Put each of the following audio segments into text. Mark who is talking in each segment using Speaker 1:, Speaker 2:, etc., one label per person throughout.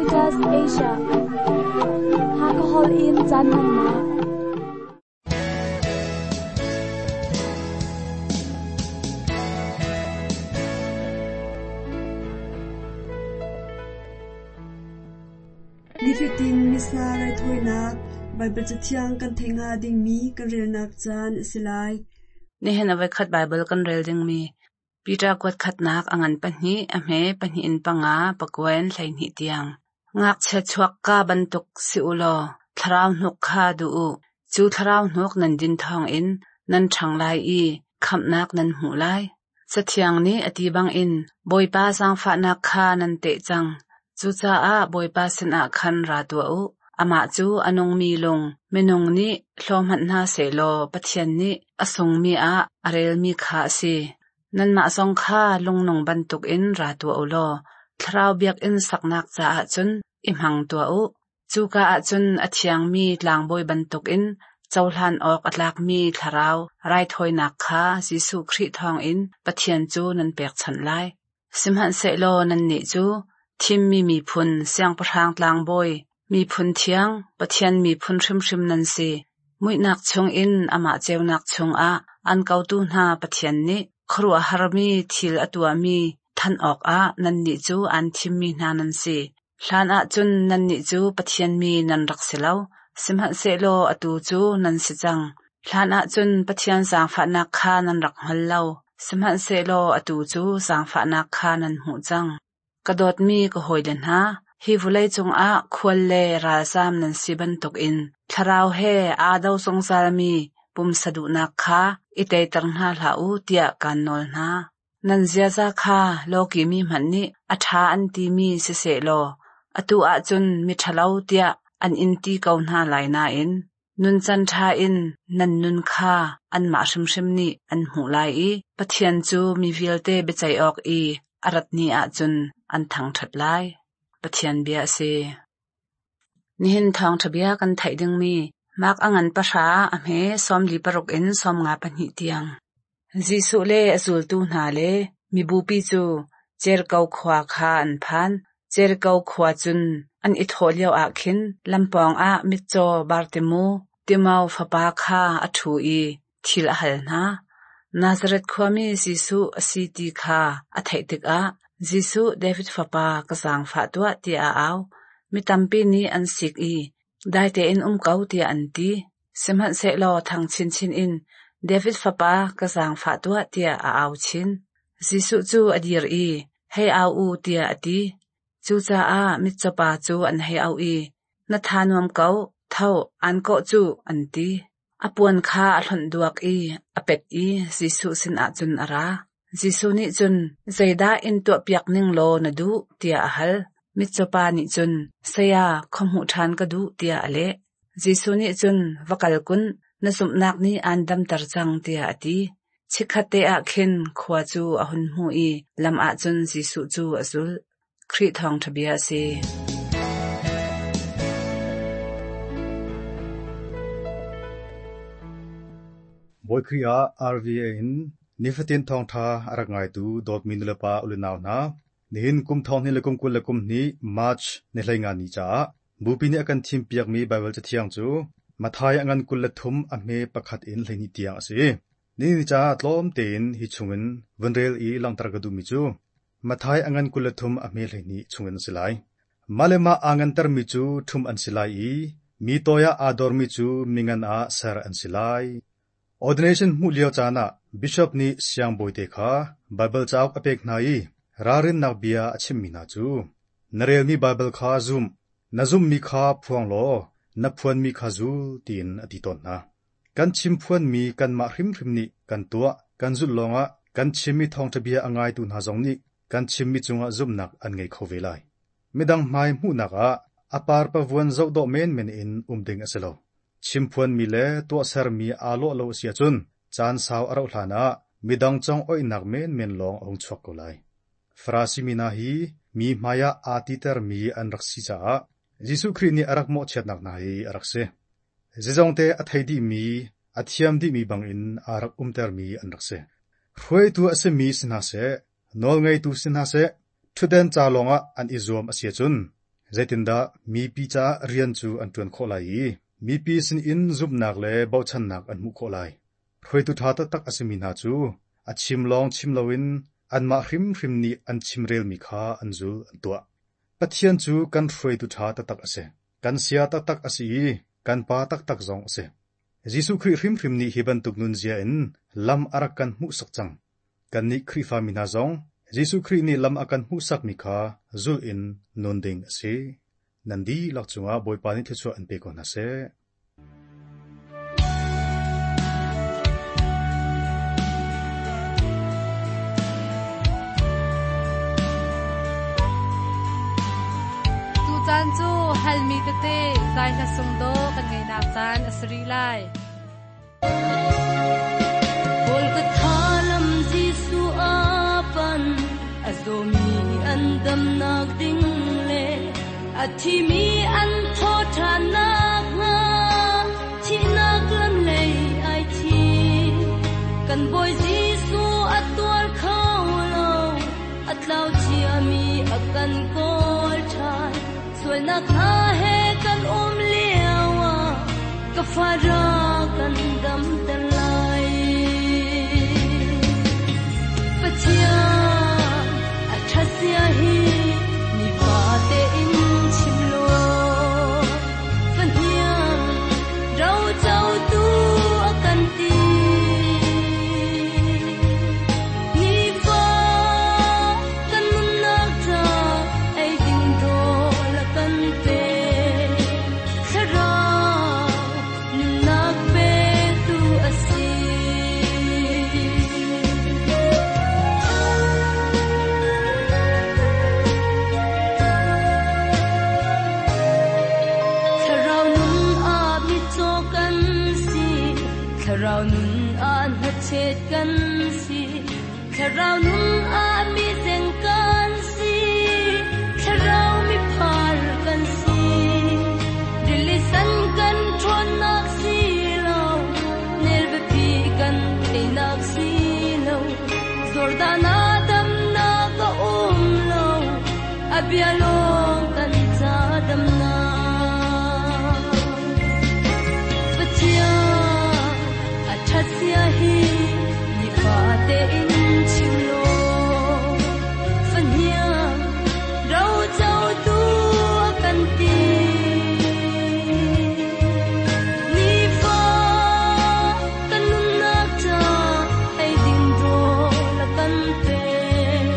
Speaker 1: Adventist Asia. Hakahol in caan hmannak.
Speaker 2: Nifatin Missa raithawinak Baibal Cathiang kan theih hnga dingmi kan relnak caan a si lai.
Speaker 3: Nihin a voikhat Baibal kan rel dingmi Peter kuat khatnak a ngan pahnih, a hme pahnih in panga, pakua in 12 tiang. Ngakchia chuakka bantuk si u law thlarau hnuk kha duh u. Cu thlarau hnuk nan din thawngin nan ṭhang lai i khamhnak nan hmuh lai. Cathiang nih a ti bangin Bawipa zaangfahnak kha nan teh cang. Cucaah Bawipa sinah khan ra tuah u. Amah cu a nungmi lung, minung nih hlaw hmanh hna sehlaw Pathian nih a sungmi ah a relmi kha a si. Nanmah zong kha lungnung bantukin ra tuah u law thlarau biakinn saknak caah cun i hmang tuah u. Cuka ah cun a thiangmi tlangbawi bantukin cohlan awk a tlakmi thlarau raithawinak kha Jesuh Khrih thawngin Pathian cu nan pekchanh lai. Sihmanhsehlaw nannih cu thimmi miphun, siangpahrang tlangbawi, miphun thiang, Pathian miphun hrimhrim nan si. Muihnak chungin amah ceunak chungah an kotu hna Pathian nih khuaruahharmi thil a tuahmi thanh awkah nannih cu aan thimmi hna nan si. Hlan ah cun nannih cu Pathian mi nan rak si lo, sihmanhsehlaw atu cu nan si cang. Hlan ah cun Pathian zaangfahnak kha nan rak hngal lo, sihmanhsehlaw atu cu zaangfahnak kha nan hmuh cang. Ka dawtmi ka hawile hna, hi vawlei cungah khual le ralzaam nan si bantukin thlarau he aa do zungzalmi pumsa duhnak kha i teiter hna hlah u tiah kaan nawl hna. Nan ziaza kha lawki mi hmanh nih a ṭha an timi sisehlaw atu ahcun miṭhalo tiah an in ti ko hna lai nain nuncan ṭha in nan nun kha anmah hrimhrim nih an hmuh lai i Pathian cu mi vialte biaceih awk i a rat ni ahcun an thangṭhat lai. Pathian bia a si. Nihin thawngṭha bia kan theih dingmi Mark a ngan pahra a hme 46 in 52 tiang. Jesuh le a zultu hna le mibupi cu Jeriko khua kha an phan. Jeriko khua cun an i thawh lioah khin lampawng ah mitcaw Bartimu, Timau fapa kha a ṭhu i thil a hal hna. Nazareth khuami Jesuh a si ti kha a theih tikah Jesuh David fapa ka zaangfah tuah tiah a au. Mi tampi nih an sik i dai tein um ko tiah an ti. Sihmanhsehlaw thang chinchin in David fapa ka zaangfah tuah tiah a au chin. Jesuh cu a dir i hei au u tiah a ti. Cucaah mitcawpa cu an hei auh i na tha nuam ko, tho, aan kawh cuh an ti. A puan kha a hlonh duak i a pet i Jesuh sinah cun a ra. Jesuh nih cun, Zeidah in tuahpiak ning law na duh? tiah a hal. Mitcawpa nih cun, Saya, khuahmuh ṭhan ka duh, tiah a leh. Jesuh nih cun, Va kal kun, na zumhnak nih aan damter cang, tiah a ti. Chikkhatte ah khin khua cu a hun hmuh i lam ah cun Jesuh cu a zulh. Khrih thawngṭha bia a si.
Speaker 4: Bawi Khrih ah RVA in nifatin thawngṭha a rak ngaitu dawtmi nulepa ulenau hna, nihin kum thonghnih le kum 22 March ni 15 ni caah Bupi nih a kan thimpiakmi Baibal Cathiang cu Matthai a ngan 23 a hme pakhat in 12 tiang a si. Nihin ni caah tlawm tein hi chungin vun rel i langhter ka duhmi cu Matthai a ngan 23 a hme 12 chungin a si lai. Mah le mah aa ngantermi cu ṭhumh an si lai i mi toi ah aa dormi cu mingan ah ser an si lai. Ordination hmuh lio caan ah bishop nih siangbawite kha Baibal cauk a pek hna i ralrinnak bia a chimhmi hna cu, Na relmi Baibal kha zum, na zumhmi kha phuang law na phuanmi kha zul tiin a ti tawn hna. Kan chimphuanmi kanmah hrimhrim nih kan tuah, kan zulh lawngah kan chimmi thawngṭha bia a ngaitu hna zong nih kan chimmi cungah zumhnak an ngei kho ve lai. Midang hmai hmuhnak ah a parpavuan zohdawh menmen in um ding a si lo. Chimphuanmi le tuahsermi aa lawh lo a si ahcun caan sau a rauh hlan ah midang congoihnak menmen lawng a hung chuak ko lai. Farasi mi hna hi mi hmaiah aa titermi an rak si caah Jesuh Khrih nih a rak mawhchiatnak hna hi a rak si. Zeizongte a thei dihmi, a thiam dihmi bangin aa rak umtermi an rak si. Hruaitu a simi si hna seh, nawlngeitu si hna seh, ṭhutden ca lawngah an i zuam a si ahcun. Zeitindah mipi caah rian cu an ṭuan khawh lai i mipi sinin zumhnak le bochannak an hmuh khawh lai? Hruaitu ṭha taktak a simi hna cu a chim lawng chim loin anmah hrimhrim nih an chimrelmi kha an zul an tuah. Pathian cu kan hruaitu ṭha taktak a si. Kan sia taktak a si i kan Pa taktak zong a si. Jesuh Khrih hrimhrim nih hi bantuk nunzia in lam a rak kan hmuhsak cang. Kannih Khrihfami hna zong Jesuh Khrih nih lam a kan hmuhsakmi kha zulh in nun ding a si. Nan dihlak cungah Bawipa nih thluachuah in pe ko hna seh.
Speaker 5: Tucaan cu halmi tete zai hla sung dawh kan ngeihnak caan a si rih lai.
Speaker 6: Golgotha lam Jesuh a pan, a zawmi an damnak ding le a thimi an thawh ṭhannak hnga thihnak lam lei ai thim. Kan Bawi Jesuh a tuar kho lo, a tlau ciami a kan kawl ṭhan. Sualnak hna he kan um lio ah ka fa ra kan damter lai. Pathian a ṭhat zia hi nifate in chim law, fahniang rocotu a kan ti. Nifa kan nunnak ca ei ding rawl a kan pek. Thlarau nunnak petu a si. Thlarau nun ah mitcaw kan si, Thlarau nun ah hnachet kan si, Thlarau nun ah mizeng kan si, Thlarau miphar kan si. Rili san kan ṭhawnnak si lo, nel biapi kan teinak si lo, Jordan ah damnak a um lo, a bia lawng kan ca damnak. Pathian a ṭhat zia hi nifate in chim law, fahniang rocotu a kan ti. Nifa kan nunnak ca ei ding rawl a kan pek.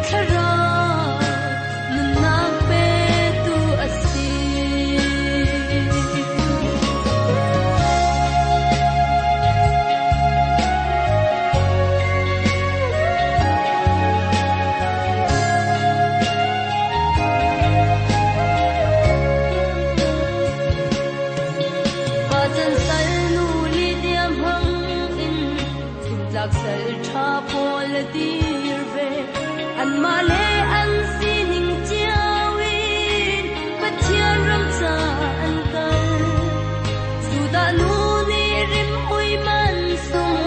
Speaker 6: Thlarau nunnak petu a si. Pacan sal nu Lydia hmang in zumtlak sal ṭha pawl a dir ve. Anmah le an sining cio in Pathian ram ca an kal. Judah nu nih rimhmui man sung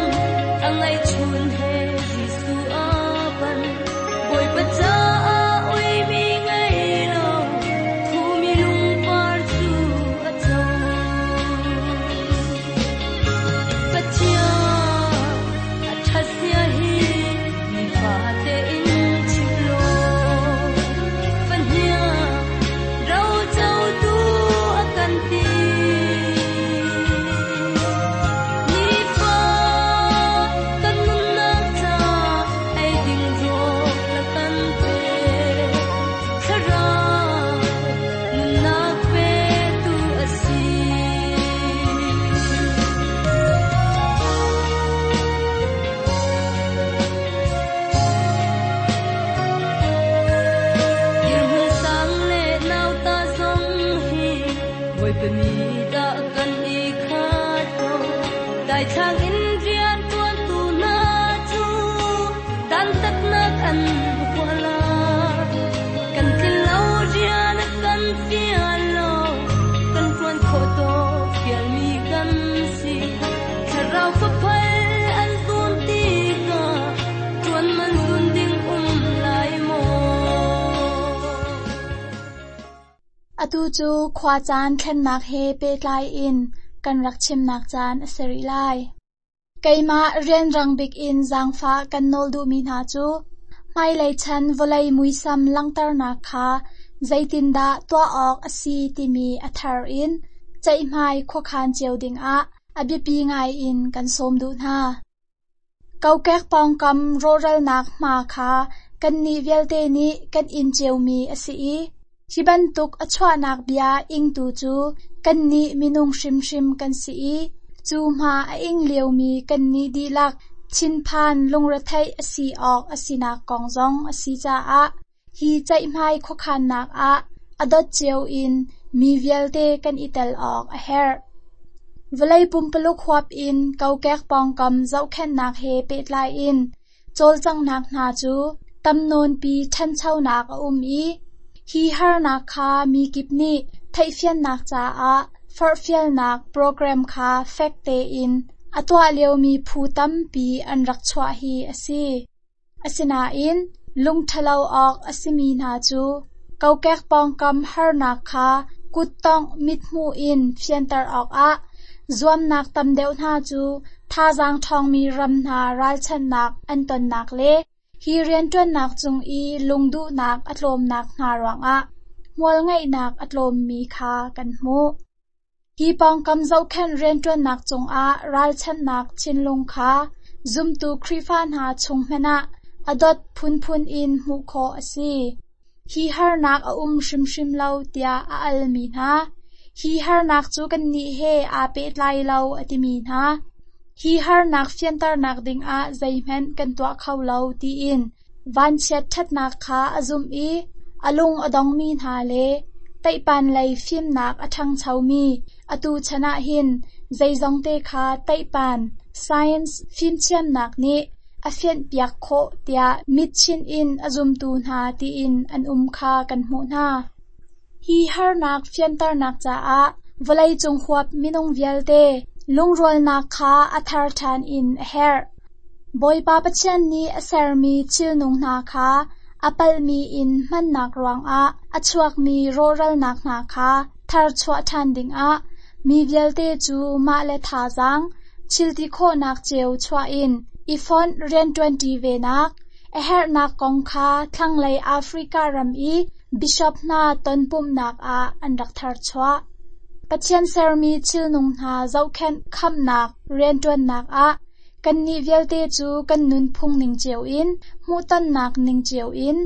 Speaker 6: a ngeihchun he Jesuh a pan. Bawipa caah uimi ngei lo, thumi lungpar cu a co. Pathian a ṭhat zia hi nifate in chim law, fahniang rocotu a kan ti. Nifa kan nunnak ca ei ding rawl a kan pek. Thlarau nunnak petu a si. Dirhmun sang le nauta zong hi Bawipa mi dah kan i khat ko. Daithlang in rian ṭuantu hna cu dantatnak an huah lai. Kan tlin lo rian a kan fial lo, kan ṭuan khawh tawk fialmi kan si. Thlarau faphal an zun tikah ṭuan man zun ding um lai maw?
Speaker 1: Atu cu khuacaan thlennak he pehtlai in kan rak chimnak caan a si rih lai. Keimah rianrang bik in zaangfah kan nawl duhmi hna cu hmailei chan vawlei muisam langhternak kha zeitindah tuah awk a si timi a thar in ceihmai khuakhan cio dingah a biapi ngai in kan sawm duh hna. Kokek pawngkam rawhralnak hma kha kannih vialte nih kan in ciomi a si i hi bantuk a chuahnak bia ingtu cu kannih minung hrimhrim kan si i cu hma a ing liomi kannih dihlak thinphan lungretheih a si awk a sinak kong zong a si caah hi ceihmai khuakhannak ah a dot cio in mi vialte kan i tel awk a herh. Vawlei pumpuluk huap in kokek pawngkam zohkhenhnak he pehtlai in cawlcanghnak hna cu tam nawnpi ṭhanchonak a um i hi harnak kha mi kip nih theihfiannak caah forhfialnak program kha fek tein a tuah liomi phu tampi an rak chuah hi a si. Asinain lungṭhalo awk a simi hna cu kokek pawngkam harnak kha kuttongh mithmuh in fianter awkah zuamnak tam deuh hna cu thazaang ṭhawngmi ram hna ralchanhnak an tonnak le hi rianṭuannak cung i lungduhnak a tlawmnak hna ruangah hmualngeihnak a tlawmmi kha kan hmuh. Hi pawngkam zohkhenh rianṭuannak cungah ralchanhnak thinlung kha zumtu Khrihfa hna chung hmanh ah a dot phunphun in hmuh khawh a si. Hi harnak a um hrimhrim lo tiah a almi hna, hi harnak cu kannih he aa pehtlai lo a timi hna, hi harnak fianternak dingah zeihmanh kan tuah kho lo tiin vanchiat ṭhatnak kha a zumh i a lung a dongmi hna le teihpan lei fimnak a ṭhangchomi atu chan ah hin zeizongte kha teihpan science fimthiamnak nih a fianhpiak khawh tiah mitchinh in a zumtu hna tiin an um kha kan hmuh hna. Hi harnak fianternak caah vawleicung huap minung vialte lungrualnak kha a thar ṭhan in a herh. Bawipa Pathian nih a sermi thilnung hna kha a palhmi in hmannak ruangah a chuakmi rawhralnak hna kha tharchuah ṭhan dingah mi vialte cu mah le thazaang thilti khawhnak cio chuah in i fonh rianṭuanṭi venak a herhnak kong kha thlanglei Africa ram i bishop hna tonpumhnak ah an rak tharchuah. Pathian sermi thilnung hna zohkhenh khamhnak rianṭuannak ah kannih vialte cu kan nunphung ning cio in, hmuhtonnak ning cio in,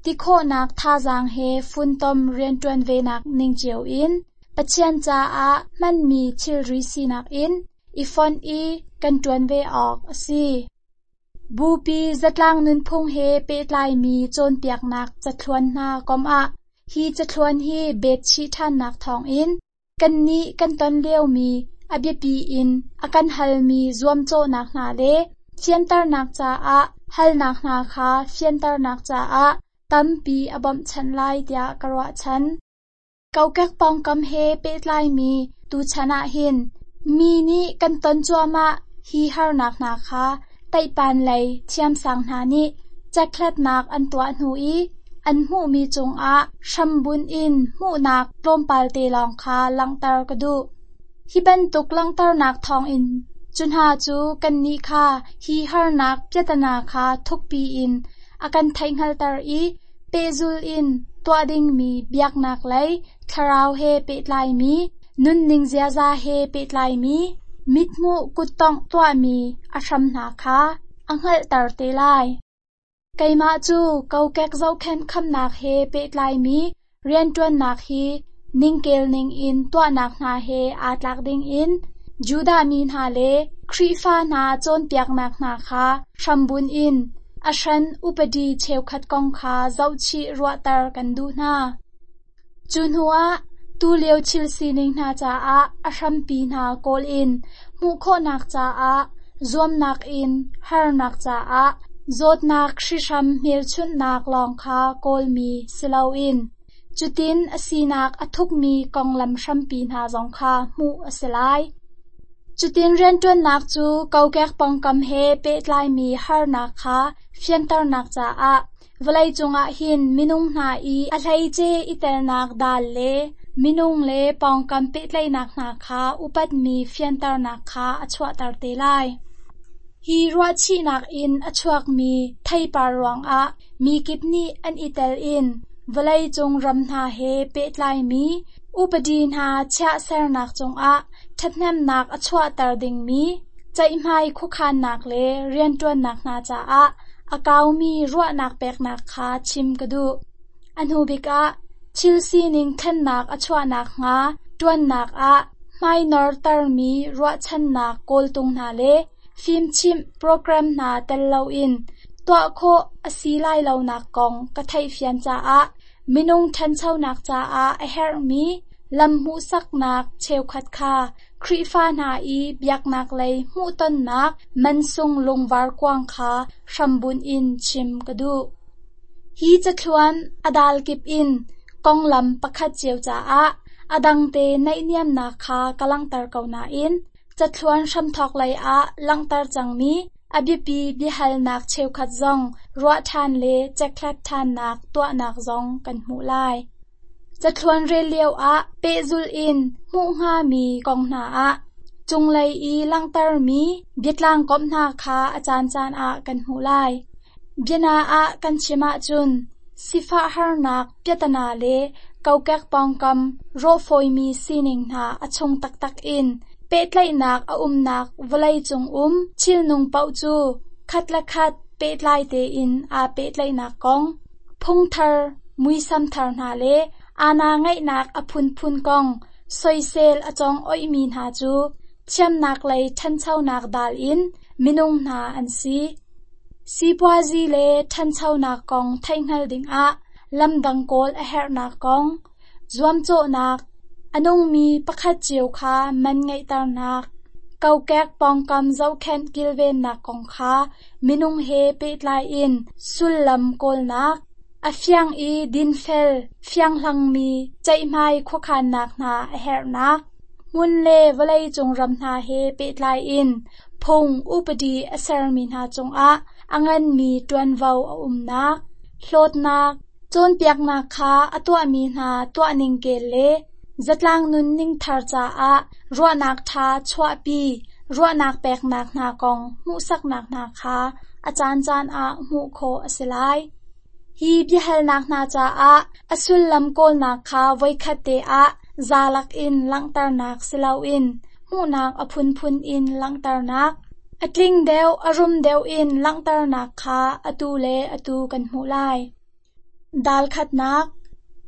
Speaker 1: ti khawhnak thazaang he funtom rianṭuan venak ning cio in, Pathian caah hmanmi thilri sinak in i fonh i kan ṭuan ve awk a si. Bupi zatlang nunphung he pehtlaimi cawnpiaknak cathluan hna kom ah hi cathluan hi betchih ṭhannak thawngin kannih kan ton liomi a biapi in a kan halmi zuamcawhnak hna le fianternak caah halnak hna kha fianternak caah tampi a bawmhchanh lai tiah ka ruahchan. Kokek pawngkam he pehtlaimi tuchan ah hin mi nih kan ton cuahmah hi harnak hna kha teihpan lei thiamsang hna nih cekhlatnak an tuah hnu i an hmuhmi cungah hrambunh in hmuhnak tlawmpal te lawng kha langhter ka duh. Hi bantuk langhternak thawngin cu hna cu kannih kha hi harnak piatana kha thukpi in a kan theihhngalter i pehzul in tuah dingmi biaknak lei thlarau he pehtlaimi, nunning ziaza he pehtlaimi, mithmuh kuttongh tuahmi a hram hna kha a hngalhter te lai. Keimah cu kokek zohkhenh khamnak he pehtlaimi rianṭuannak hi ningkel ningin tuahnak hna he aa tlak dingin Judah mi hna le Khrihfa hna cawnpiaknak hna kha hrambunh in a hran upadi cheukhat kong kha zohchih ruahter kan duh hna. Cu hnuah tulio thil sining hna caah a hrampi hna kawl in hmuh khawhnak caah zuamnak in harnak caah zawtnak hrihhram hmelchunhnak lawng kha kawlmi si loin cutin a sinak a thukmi konglam hrampi hna zong kha hmuh a si lai. Cutin rianṭuannak cu kokek pawngkam he pehtlaimi harnak kha fianternak caah Vawleicung ah hin minung hna i a hleice i telnak dal le minung le pawngkam pehtlaihnak hna kha upatmi fianternak kha a chuahter te lai. Hi ruahchihnak in a chuakmi theipar ruangah mi kip nih an i tel in vawleicung ram hna he pehtlaimi upadi hna chiah sernak cungah ṭhathnemnak a chuahter dingmi ceihmai khuakhannak le rianṭuannak hna caah a kaumi ruahnak peknak kha chim ka duh. A hnu bik ah, thil sining thlennak a chuah nakhnga ṭuannak ah hmainortermi ruahchannak kawltung hna le fimchimh program hna tel loin tuah khawh a si lai lonak kong ka theihfian caah minung ṭhanchonak caah a herhmi lam hmuhsaknak cheukhat kha Khrihfa hna i biaknak lei hmuhtonnak mansung lungvar kuang kha hrambunh in chim ka duh. Hi cathluan a dal kip in konglam pakhat cio caah a dangte naihniamnak kha ka langhter ko nain cathluan hramthawk lei ah langhter cangmi a biapi biahalnak cheukhat zong ruah ṭhan le cekhlat ṭhannak tuahnak zong kan hmuh lai. Cathluan rel lioah pehzulh in hmuh hngami kong hna ah cunglei i langhtermi biatlang komh hna kha a caancaan ah kan hmuh lai. Biana ah kan chim ahcun sifah harnak piatana le kokek pawngkam rawhfawimi sining hna a chung taktak in pehtlaihnak a umnak vawleicung um thilnung paoh cu khat le khat pehtlai tein aa pehtlaihnak kong, phungthar muisam thar hna le aana ngeihnak a phunphun kong soisel a cawng oihmi hna cu thiamnak lei ṭhanchonak dal in minung hna an si. Sipuazi le ṭhanchonak kong theihhngal dingah lamdang kawl a herhnak kong, zuamcawhnak, a nungmi pakhat cio kha man ngeihternak, kokek pawngkam zohkhenh kilvennak kong kha minung he pehtlai in sullam kawlnak, a fiang i dinfel fianghlangmi ceihmai khuakhannak hna a herhnak, hmun le vawleicung ram hna he pehtlai in phung upadi a sermi hna cungah a nganmi ṭuanvo a umnak, hlawtnak, cawnpiaknak kha a tuahmi hna tuahning kel le zatlang nunning thar caah ruahnak ṭha chuahpi ruahnak peknak hna kong hmuhsaknak hna kha a caancaan ah hmuh khawh a si lai. Hi biahalnak hna caah a sullam kawlnak kha voikhat te ah zalak in langhternak si loin hmuhnak a phunphun in langhternak, a tling deuh a rum deuh in langhternak kha atu le atu kan hmuh lai. Dal khatnak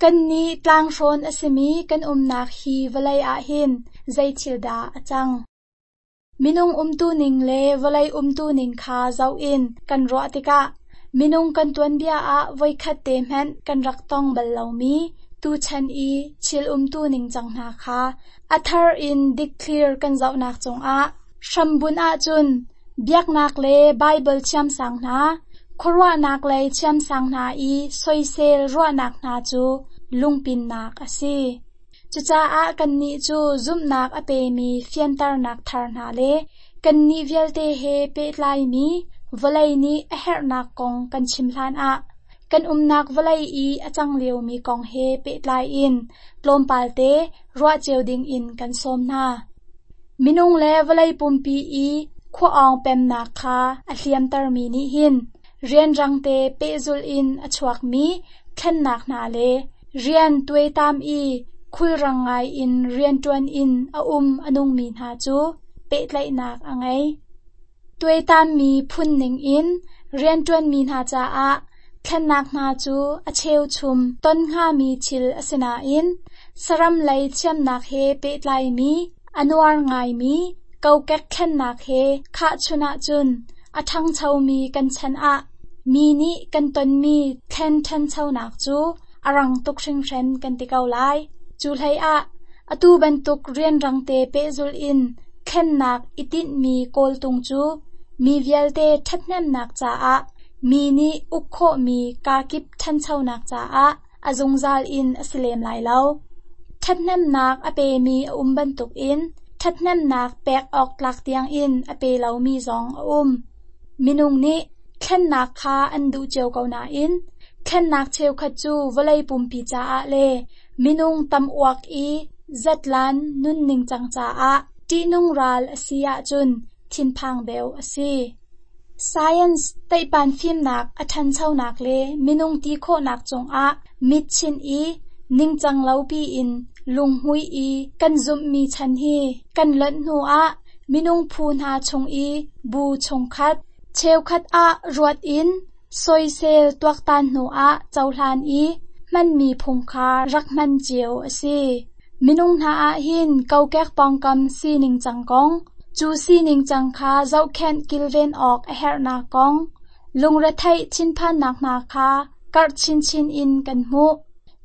Speaker 1: Kannih tlanghrawn a simi kan umnak hi vawlei ah hin zei thil dah a cang? Minung umtuning le vawlei umtuning kha zoh in kan ruah tikah minung kan tuanbia ah voikhat te hmanh kan rak tong bal lomi tuchan i thil umtuning cang hna kha a thar in dikthlir kan zohnak cungah hrambunh ahcun biaknak le Baibal thiamsang hna, khuaruahnak lei thiamsang hna i soisel ruahnak hna cu lungpinnak a si. Cucaah kannih cu zumhnak a pemi fianternak thar hna le kannih vialte he pehtlaimi vawlei nih a herhnak kong kan chim hlanah kan umnak vawlei i a cang liomi kong he pehtlai in tlawmpal te ruah cio dingin kan sawm hna. Minung le vawlei pumpi i khua-awng pemnak kha a hliamtermi nih hin rianrang te pehzulh in a chuakmi thlennak hna le rian tuaitam i khulrang ngai in rianṭuan in a um a nungmi hna cu pehtlaihnak a ngei. Tuaitammi phun ningin rianṭuanmi hna caah thlennak hna cu a cheuchum ton hngami thil a si nain saram lei thiamnak he pehtlaimi a nuar ngaimi kokek thlennak he khahchun ahcun a ṭhangchomi kan chan ah mi nih kan tonmi thlen ṭhanchonak cu a rang tuk hringhran kan ti ko lai. Cu hleiah atu bantuk rianrangte pehzulh in thlennak i tinhmi kawltung cu mi vialte ṭhathnemnak caah mi nih uk khawhmi kakip ṭhanchonak caah a zungzal in a si lem lai lo. Ṭhathnemnak a pemi a um bantukin ṭhathnemnak pek awk tlak tiangin a pe lomi zong a um. Minung nih thlennak kha an duh cio ko nain. Thlennak cheukhat cu vawlei pumpi caah le minung tam uak i zatlan nunning cang caah ṭihnung ral a si ahcun thinphang deuh a si. Science teihpan fimnak a ṭhanchonak le minung ti khawhnak cungah mit chinh i ningcang lo piin lunghmui i kan zumhmi chan hi kan lonh hnuah minung phu hna chung i bu chungkhat cheukhat ah ruat in soisel tuaktan hnuah cohlan i hmanmi phung kha rak hman cio a si. Minung hna ah hin kokek pawngkam sining cang kong, cu sining cang kha zohkhenh kilven awk a herhnak kong, lungretheih thinphannak hna kha karh chinchin in kan hmuh.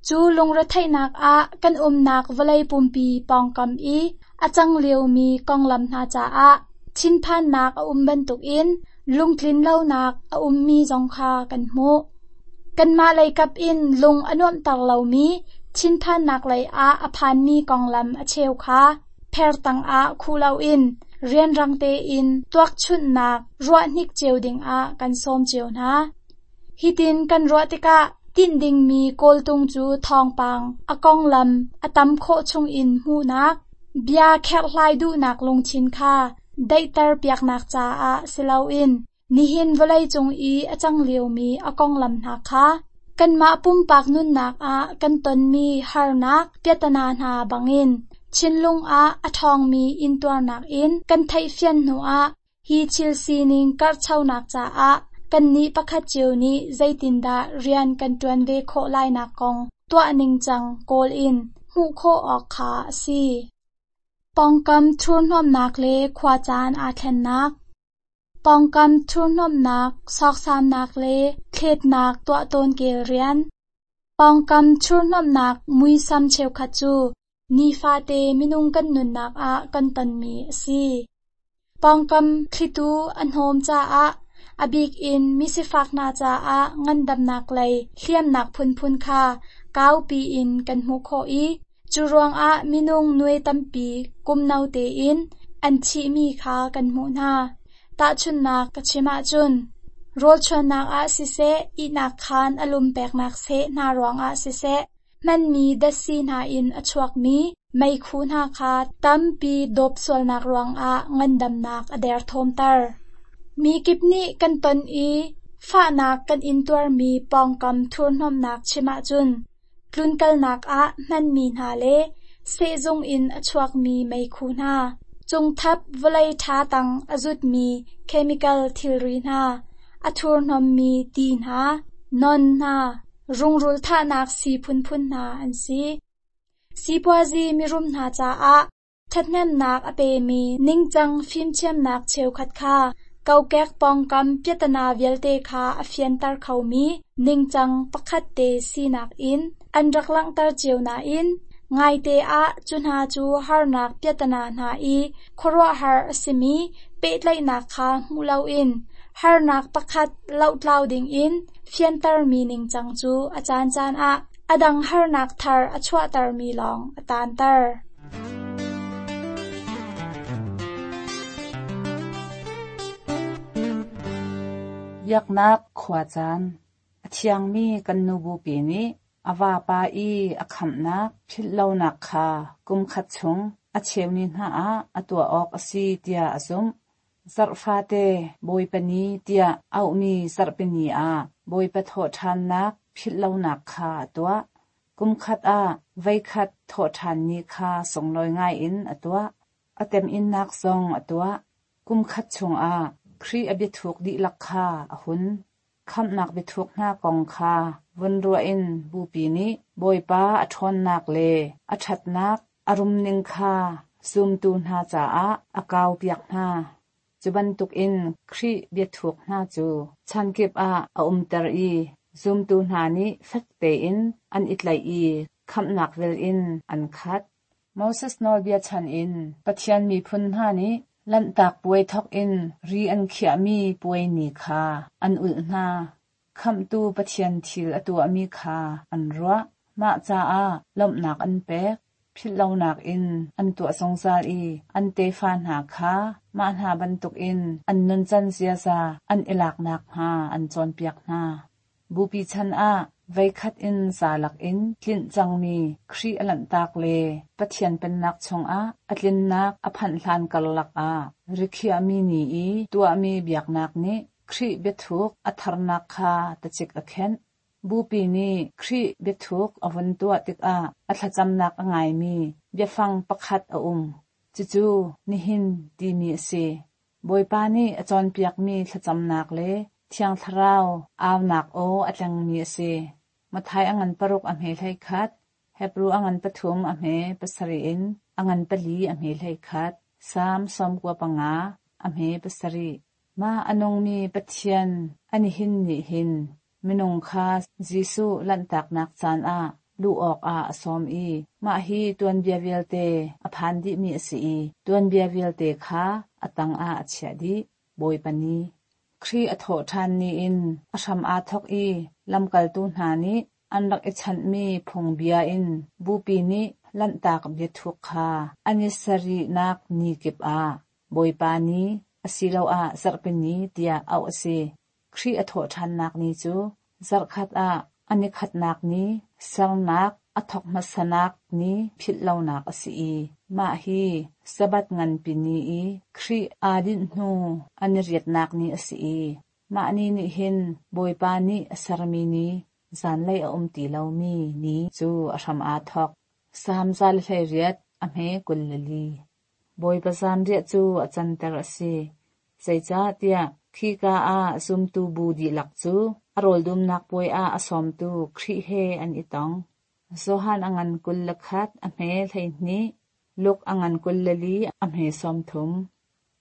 Speaker 1: Cu lungretheihnak ah kan umnak vawlei pumpi pawngkam i a cang liomi konglam hna caah thinphannak a um bantukin lungtlinlonak a ummi zong kha kan hmuh. Kanmah leikap in lung a nuamhter lomi thinphannak lei ah a phanmi konglam a cheu kha pher tangah khuh loin rianrang tein tuakchunhnak ruahhnik cio dingah kan sawm cio hna. Hitin kan ruah tikah tinh dingmi kawltung cu thawngpang a konglam a tam khawh chungin hmuhnak, bia kherhhlai duhnak lungthin kha daihter piaknak caah si loin nihin vawleicung i a cang liomi a konglam hna kha kanmah pumpak nunnak ah kan tonmi harnak piatana hna bangin thinlung ah a ṭhawngmi intuarnak in kan theihfian hnuah hi thil sining karhchonak caah kannih pakhat cio nih zeitindah rian kan ṭuan ve khawh lainak kong tuah ningcang kawl in hmuh khawh awk kha a si. Pawngkam thurhnawmnak le khuacaan aa thlennak. Pawngkam thurhnawmnak, sawksamnak le thletnak tuah tawn kel rian. Pawngkam thurhnawmnak muisam cheukhat cu nifate minung kan nunnak ah kan tonmi a si. Pawngkam thlitu a hnawm caah a bik in misifak hna caah ngandamnak lei hliamnak phunphun kha kaupi in kan hmuh khawh i cu ruangah minung nuai tampi kum no tein an thihmi kha kan hmuh hna. Tahchunhnak ka chim ahcun rawlchuannak ah siseh, ihnak khaan a lum peknak seh hna ruangah siseh, hmanmi datsi hna in a chuakmi meikhu hna kha tampi dawp sualnak ruangah ngandamnak a derthawmter. Mi kip nih kan ton i fahnak kan intuarmi pawngkam thurhnawmnak chim ahcun tlunkalnak ah hmanmi hna le sehzung in a chuakmi meikhu hna, cungthap vawlei ṭha tang a zutmi chemical thilri hna, a thurhnawmmi ti hna, non hna, rungrul thahnak sii phunphun hna an si. Sipuazi mirum hna caah ṭhathnemnak a pemi ningcang fimthiamnak cheukhat kha kokek pawngkam piatana vialte kha a fianter khomi ningcang pakhat te sinak in an rak langhter cio nain ngaite ah cu hna cu harnak piatana hna i khuaruahhar a simi pehtlaihnak kha hmuh loin harnak pakhat lohtlau dingin fiantermi ningcang cu a caancaan ah a dang harnak thar a chuahtermi lawng a taanter.
Speaker 3: Biaknak khuacaan A thiangmi kan nu bupi nih a vapa i a khamhnak philhlonak kha kumkhat chung a cheu ni hna ah a tuah awk a si tiah a zumh. Zarh fate Bawipa Ni tiah auhmi Zarhpi Ni ah Bawipa thawhṭhannak philhlonak kha a tuah. Kumkhat ah voikhat thawhṭhan ni kha sunglawi ngaiin a tuah. A temhinnak zong a tuah. Kumkhat chungah Khrih a biathuk dihlak kha a hun. Khamhnak biathuk hna kong kha vun ruah in Bupi nih Bawipa a ṭhawnnak le a ṭhatnak a rumning kha zumtu hna caah a kaupiak hna. Cu bantukin Khrih biathuk hna cu chankip ah a umter i zumtu hna nih fek tein an i tlaih i khamhnak vel in an khat. Moses Nawlbia chan in Pathian miphun hna nih Lanhtak Puai thawk in ri an khiahmi puai ni kha an ulh hna. Khamhtu Pathian thil a tuahmi kha an ruah. Mah caah lawmhnak an pek. Philhlonak in an tuah zungzal i an tefa hna kha mah hna bantukin an nuncan ziaza an i lak nakhnga an cawnpiak hna. Bupi chan ah voikhat in zalak in tlinh cangmi Khrih a lanhtak le Pathian Pennak chungah a tlinnak a phanh hlan karlak ah rikhiahmi ni i tuahmi biaknak nih Khrih biathuk a tharnak kha tacik a khenh. Bupi nih Khrih biathuk a vun tuah tikah a thlacamnak a ngaimi biafang pakhat a um. Cucu nihin timi a si. Bawipa nih a cawnpiakmi thlacamnak le Thiang Thlarau aunak aw a tlengmi a si. Matthai a ngan paruk a hme 11, Hebru a ngan pathum a hme pasarih in a ngan pali a hme 11, Salm 95 a hme pasarih. Mah a nungmi Pathian a nihin nih hin minung kha Jesuh lanhtaknak caan ah luh awkah a sawm i mah hi tuanbia vialte a phan dihmi a si i tuanbia vialte kha a tangah a chiah dih. Bawipa Ni. Khrih a thawh ṭhan ni in a hram aa thawk i lamkaltu hna nih an rak i chanhmi phungbia in bupi nih lanhtak biathuk kha an i sarihnak ni kip ah Bawipa Ni asiloah Zarhpi Ni tiah auh a si. Khrih a thawhṭhannak ni cu zarhkhat ah a nikhatnak ni sernak a thawk hmasanak ni philhlonak a si i mah hi Sabbath nganpi ni i Khrih aa dinh hnu a ni riatnak ni a si i mah ni nih hin Bawipa nih a sermi ni zanlei a um ti lomi ni cu a hram aa thawk. Salm 118 a hme 24. Bawipa zanriah cu a canter a si. Zeicahtiah khika ah zumtu bu dihlak cu a rawldumnak puai ah a sawmtu Khrih he an i tong. Johan a ngan 21 a hme 12, Luke a ngan 24 a hme 30.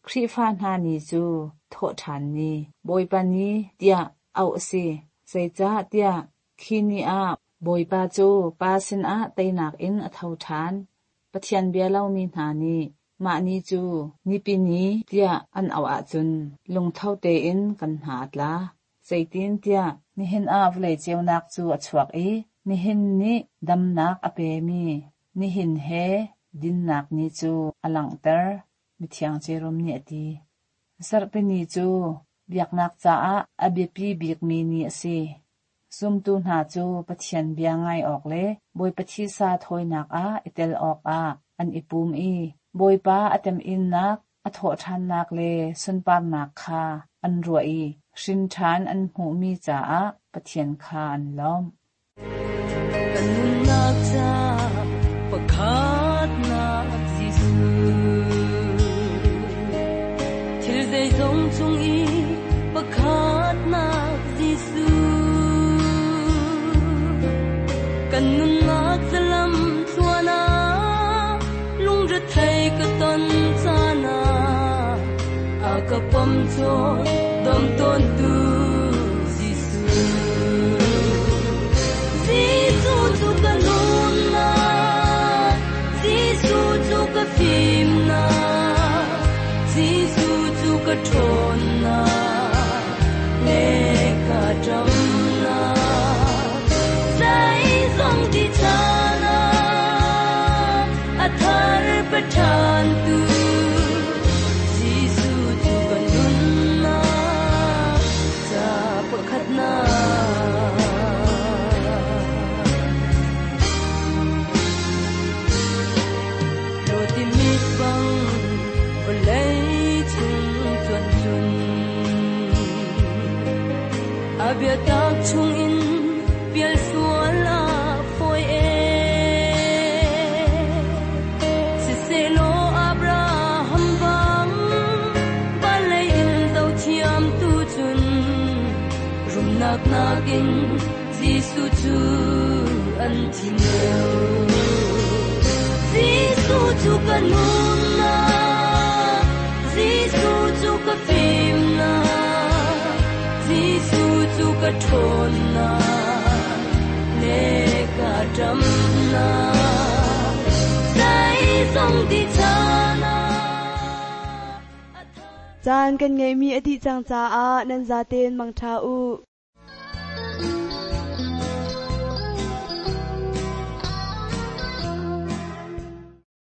Speaker 3: Khrihfa hna ni cu thawhṭhan ni, Bawipa ni tiah auh a si. Zeicahtiah khi ni ah Bawipa cu Pa sinah teinak in a tho ṭhan. Pathian bia lomi hna nih mah ni cu Nipi Ni tiah an auh ahcun lungtho tein kan hna a tla. Zeitintiah nihin ah vawlei ceunak cu a chuak i nihin nih damnak a pemi nihin he dinnak ni cu a langhter, Mithiang Jerom nih a ti. Zarhpi ni cu biaknak caah a biapi bikmi ni a si. Zumtu hna cu Pathian bia ngai awk le Bawipa thisa thawinak ah i tel awkah an i pum i Bawipa a temhinnak, a thawhṭhannak le sunparnak kha an ruah i hrinṭhan an hmuhmi caah Pathian kha an lawmh.
Speaker 6: Kan nunnak ca pakhatnak Jesuh. Thil zeizong cung i pakhatnak Jesuh. Kan nunnak zalam tluan ah lungrethei ka ton caan ah a ka pom cawn dom tawntu Jesuh. Jesuh cu ka nunnak, Jesuh cu ka fimnak, Jesuh cu ka ṭhawnnak le ka ṭamnak. Zeizong ti caan ah a thar paṭhan tu Jesuh cu ka nunnak ca pakhatnak. Lawti mit bang vawlei chung cuan cun a biatak chungin pial sual a fawi e. Siselaw Abraham bang vawlei in zohthiam tu cun rumnak nakin Jesuh cu an thim deuh. Jesuh cu ka nunnak, Jesuh cu ka fimnak, Jesuh cu ka ṭhawnnak le ka ṭamnak. Zeizong ti caan ah
Speaker 2: Caan kan ngeihmi a dih cang caah nan zaten mangṭha u.